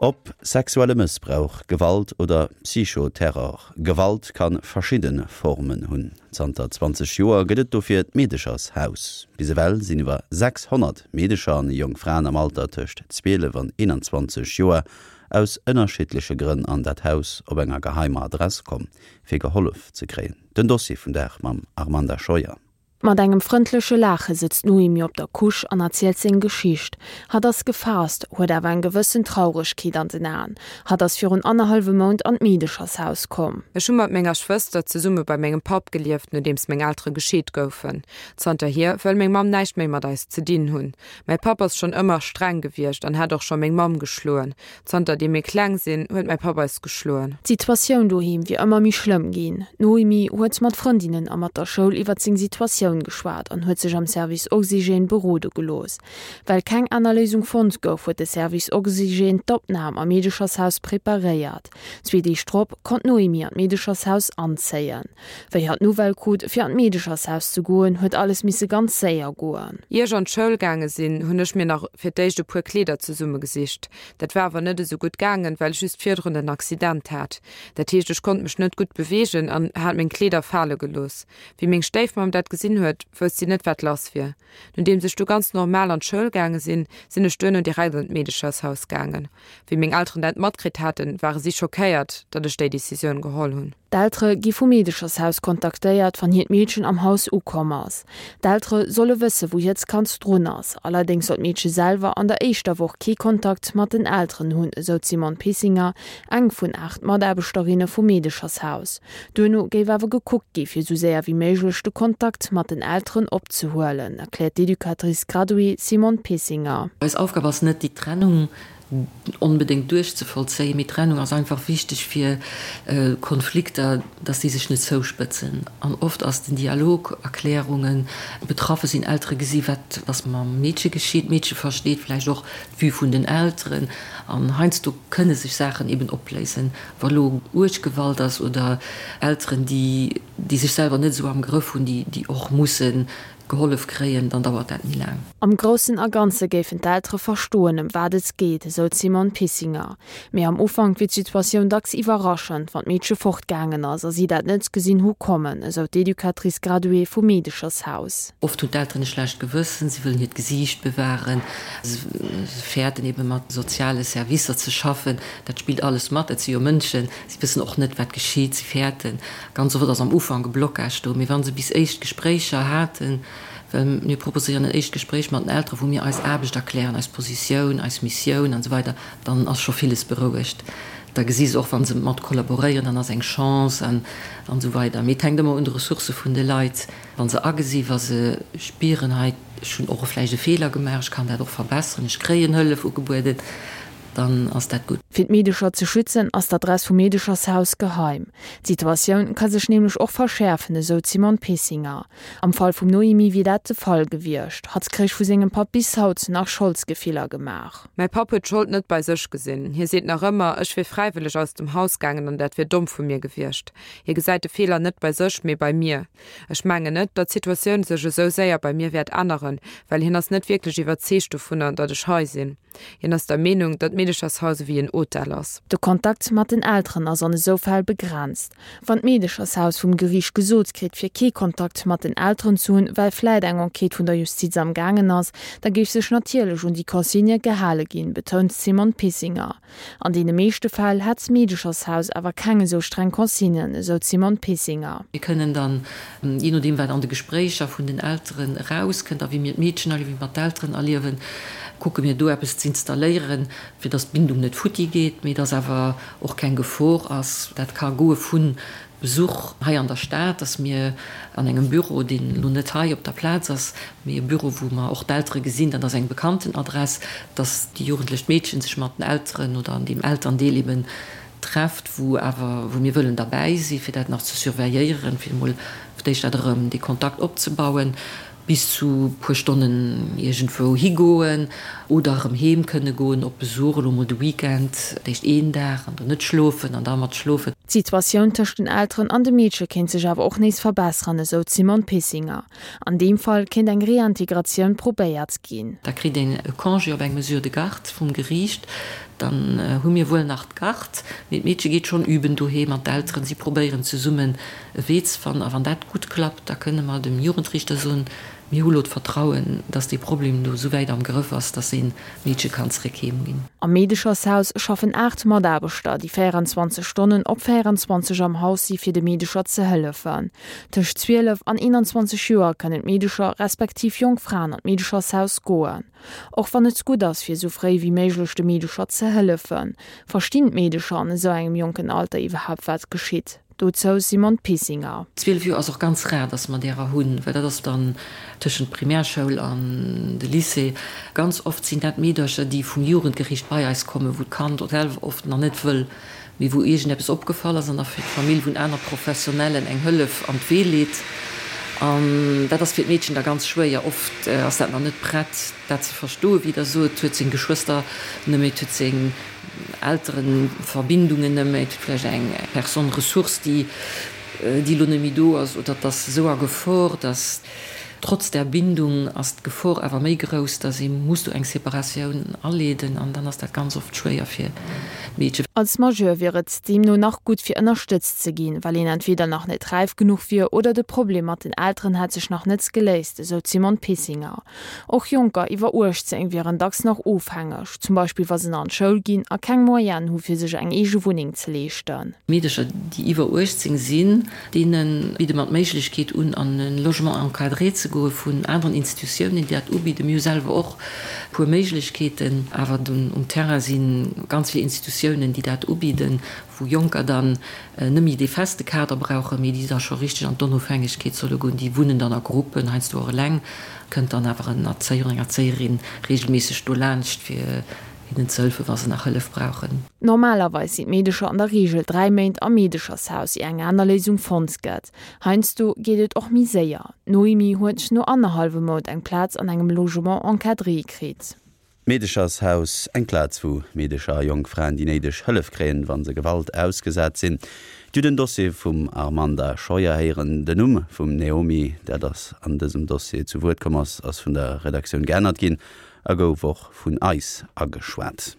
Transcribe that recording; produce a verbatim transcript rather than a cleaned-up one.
Ob sexuelle Mëssbrauch, Gewalt oder Psychoterror, Gewalt kann verschidde Formen hunn. Zanter zwanzeg Joer gëtt et dofir d'Meedechershaus. Bis ewell sinn iwwer sechshonnert Meedecher an jonk Fraen am Alter tëscht zwielef an eenanzwanzeg Joer aus ënnerschiddleche Grënn an dat Haus op enger geheimer Adress komm, fir gehollef ze kréien. Den Dossier vum Dag mam Armanda Scheuer. Mat engem frëndleche Laache sëtzt d'Noémie op der Couche an erzielt seng Geschicht. Hatt ass gefaasst, huet awer eng gewëssen Trauregkeet an den Aen. Hatt ass virun annerhallwem Mount an d'Meedechershaus komm. Ech hu mat menger Schwëster zesumme bei mengem Papp gelieft, nodeems meng Eltere gescheet goufen. Zanterhier wëll meng Mamm näischt méi mat eis ze dinn hunn. Mäi Papp ass schonn ëmmer streng gewiescht an hat och scho meng Mamm geschloen. Zanter deem mir kleng sinn, huet mäi Papp eis geschloen. D'Situatioun doheem wier ëmmer méi schlëmm ginn. D'Noémie huet mat Frëndinnen a mat der Schoul iwwert seng Situatioun geschwat an huet sech am Service Oxygène berode gelooss. Well keng aner Léisung fonnt gouf, huet de Service Oxygène d'Opnam am Meedechershaus preparéiert. Zwee Deeg drop konnt d'Noémie an d'Meedechershaus anzéien. Wéi hatt d'Nouvelle krut, fir an d'Meedechershaus ze goen, huet alles misse ganz séier goen. Ier ech an d'Schoul gaange sinn, hunn ech mir nach fir d'éischt e puer Kleeder zesummegesicht. Dat war awer net esou gutt gaangen, well ech just virdrun en Accident hat. Dat heescht, ech konnt mech net gutt beweegen an hat meng Kleeder fale gelooss. Wéi meng Stéifmamm dat gesinn huet, wousst si net, wat lass wier. Nodeems ech du ganz normal an d'Schoul gaange sinn, sinn ech duerno direkt an d'Meedechershaus gaangen. Wéi meng Elteren dat matkritt haten, ware si schockéiert, datt ech déi Decisioun geholl hunn. D'Eltere gi vum Meedechershaus kontaktéiert, wann hiert Meedchen am Haus ukomm ass. D'Eltere solle wësse wou hiert Kand drun ass. Allerdéngs soll d'Meedche selwer an der éischter Woch kee Kontakt mat den Elteren hunn, esou d'Simone Pissinger, eng vun aacht Mataarbechterinne vum Meedechershaus. Duerno géif awer gekuckt gi fir sou séier wéi méiglech de Kontakt mat den Elteren opzehuelen, erkläert d'Educatrice graduée Simone Pissinger. Eis Aufgab ass net déi Trennung onbedéngt duerchzevollzéien, mee Trennung ass einfach wichteg fir Konflikter, dass déi sech net zouspëtzen. An oft ass den Dialog, Erklärungen, betraffe sinn, Eltere gesi wat ass mam Meedche geschitt, d'Meedche versteet vläicht och d'Vue vun den Elteren an heiansdo kënne sech Saachen eben opléisen, wa lo uerg Gewalt ass oder Elteren, déi déi sech selwer net esou am Grëff hunn, déi déi och musse gehollef kréien, dann dauert dat méi laang. Am Groussen a Ganze géifen d'Eltere verstoen, ëm wat et geet, esou d'Simone Pissinger. Mee am Ufank wier d'Situatioun dacks iwwerraschend, wann d'Meedche fortgaangen ass a si dat net gesinn hu kommen, esou d'Educatrice graduée vum Meedechershaus. Oft hunn d'Elteren e schlecht Gewëssen, si wëllen hiert Gesiicht bewahren, se fäerten ebe mat soziale Servicer ze schaffen. Dat spillt alles mat, dat si jo Mënschen, si wëssen och net, wat geschitt, si fäerten. Ganz oft ass am Ufank e Blocage do, mee wa se bis éischt Gespréicher haten, well mir proposéieren en éischt Gespréich mat den Elteren, wou mir eis Aarbecht erklären, eis Positioun, eis Missioun an esou weider, dann ass scho villes berouegt. Da gesi se och, wa se mat kollaboréieren, dann ass eng Chance an esou weider. Mee et hänkt ëmmer un de Ressourcë vun de Leit, wa se agesi, wa se spieren, hei, ech hunn och vläicht e Feeler gemaach, ech kann dat och verbesseren, ech kréien Hëllef ugebueden, dann ass dat gutt. Fir d'Meedecher ze schützen, ass d'Adress vum Meedechershaus geheim. D'Situatioun ka sech nämlech och verschäerfen, esou d'Simone Pissinger. Am Fall vum Noémie wier dat de Fall gewiescht. Hatt kréich vu sengem Papp bis haut nach Scholdsgefiller gemaach. Mäi Papp huet d'Schold net bei sech gesinn. Hie seet nach ëmmer, ech wier fräiwëlleg aus dem Haus gaangen an dat wier domm vu mir gewiescht. Hie gesäit de Feeler net bei sech, mee bei mir. Ech mengen net, datt d'Situatioun sech esou séier bei mir wäert änneren, well hien ass net wierklech iwwerzeegt dovunner, datt ech hei sinn. Hien ass der Meenung, datt d'Meedechershaus ewéi en Hotel ass. De Kontakt mat den Elteren ass an esou Fäll begrenzt. Wann d'Meedechershaus vum Geriicht gesot kritt, fir kee Kontakt mat den Elteren ze hunn, well vläit eng Enquête vun der Justiz am gaangen ass, da géif sech natierlech un déi Consigne gehale ginn, betount d'Simone Pissinger. An deene meeschte Fäll hätt d'Meedechershaus awer keng esou streng Consignen, esou d'Simone Pissinger. Mir kënnen dann, jee nodeem wat an de Gespréicher vun den Elteren erauskënnt a wéi mir d'Meedchen erliewen, wéi mer d'Elteren erliewen, kucke mir do eppes z'installéieren, fir dass d'Bindung net futti geet, mee dass awer och keng Gefor ass. Dat ka goe vu Besuch hei an der Stad, dass mir an engem Büro, deen elo net hei op der Plaz ass, mee e Büro, wou mer och d'Eltere gesinn, dat ass eng bekannten Adress, dass déi jugendlech Meedchen sech mat den Elteren oder an deem Elterndeel eben trefft, wou awer, wou mir wëllen derbäi si fir dat nach ze surveilléieren, fir emol fir d'éischt dat erëm dee Kontakt opzebauen, bis zu puer Stonnen iergendwou higoen oder erëm heem kënne goen op Besuch, elo mol de Weekend, d'éischt een Dag an dann net schlofen an da mat schlofen. D'Situatioun tëscht den Elteren an dem Meedche kéint sech awer och nees verbesseren, esou d'Simone Pissinger. An deem Fall kéint eng Reintegratioun probéiert ginn. Da kritt een e Congé op eng Mesure de garde vum Geriicht. Dann hu mir wuel nach d'Garde, mee d'Meedche geet schonn üben doheem an d'Elteren, si probéieren zesummen e Wee ze fannen. A wann dat gutt klappt, da kënne mer dem Jugendriichter soen, Mir hu lo d'Vertrauen, dass dee Problem do esou wäit am Grëff ass, dass een d'Meedche kann zeréck heem ginn. Am Meedechershaus schaffen aacht Mataarbechter, déi véierenzwanzeg Stonnen op véierenzwanzeg am Haus si fir de Meedecher ze hëllefen. Tëscht zwielef an eenanzwanzeg Joer kënnen d'Meedecher respektiv jonk Fraen an d'Meedechershaus goen. Och wann et gutt ass fir esou fréi wéi méiglech de Meedecher ze hëllefen, verstinn d'Meedecher an esou engem jonken Alter iwwerhaapt wat geschitt? Dozou Simone Pissinger. Zwielef Joer ass och ganz rar, dass mer därer hunn, well dat ass dann tëschent Primärschoul an de Lycée. Ganz oft sinn dat Meedercher, déi vum Jugendgericht bei eis kommen, wou d'Kand selwer oft nach net wëll, mee wou iergendeppes opgefall ass an da fir d'Famill vun aner Professionellen eng Hëllef an d'Wee leet. An dat ass fir d'Meedchen da ganz schwéier. Oft ass dat nach net prett, dat ze verstoen, wéi Der sot. Et huet seng Geschwëster net méi, et huet seng Elterenverbindungen net méi, et huet vläicht eng Personne ressource, déi déi elo net méi do ass, oder et ass esou a Gefor, dass trotz där Bindung ass d'Gefor awer méi grouss, dass ee muss do eng Separatioun aleeden an dann ass dat ganz oft schwéier fir d'Meedchen. Als Majeur wier et deemno nach gutt fir ënnerstëtzt ze ginn, well een entweder nach net räif genuch wier oder de Problem mat den Elteren hätt sech nach net geléist, esou d'Simone Pissinger. Och Jonker iwwer uechtzéng wieren dacks nach ofhängeg, zum Beispill wa se nach an d'Schoul ginn a keng Moyenen hu fir sech eng eege Wunneng ze leeschten. Meedercher, déi iwwer uechtzéng sinn, deene bidde mer d'Méiglechkeet un, an e Logement encadré ze goe vun aneren Institutiounen, déi dat ubidden. Mir hu selwer och e puer Méiglechkeeten, awer um Terrain si ganz vill Institutiounen, déi dat ubidden, wou Jonker dann net méi dee feste Kader brauchen, mee déi da scho richteg an d'Onofhängegkeet solle goen. Déi wunnen dann a Gruppen, heiansdo och eleng, kënnt dann awer en Erzéier oder eng Erzéierin reegelméisseg do laanscht, fir hinnen ze hëllefen, wa se nach Hëllef brauchen. Normalerweis sinn d'Meedecher an der Reegel dräi Méint am Meedechershaus, ier eng aner Léisung fonnt gëtt. Heiansdo geet et och méi séier. D'Noémie huet no annerhallwem Mount eng Plaz an engem Logement encadré kritt. D'Meedechershaus, eng Plaz wou Meedecher a jonk Fraen déi néideg Hëllef kréien, wa se Gewalt ausgesat sinn. Dir hutt den Dossier vum Armanda Scheuer héieren. Den Numm vum Naomi, dat ass an dësem Dossier zu Wuert komm ass, ass vun der Redaktioun geännert ginn a gouf och vun eis ageschwat.